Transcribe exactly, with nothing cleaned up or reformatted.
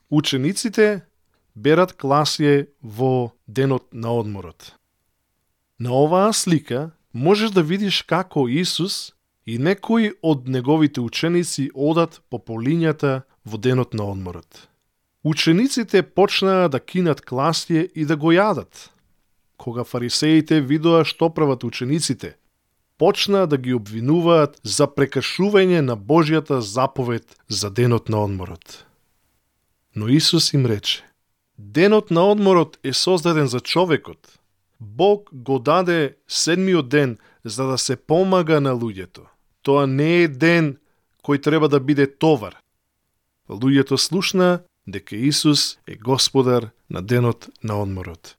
Учениците берат класие во денот на одморот. На оваа слика можеш да видиш како Исус и некои од неговите ученици одат по полињата во денот на одморот. Учениците почнаа да кинат класие и да го јадат. Кога фарисеите видоа што прават учениците, почнаа да ги обвинуваат за прекршување на Божјата заповед за денот на одморот. Но Исус им рече: денот на одморот е создаден за човекот. Бог го даде седмиот ден за да се помага на луѓето. Тоа не е ден кој треба да биде товар. Луѓето слушнаа дека Исус е Господар на денот на одморот.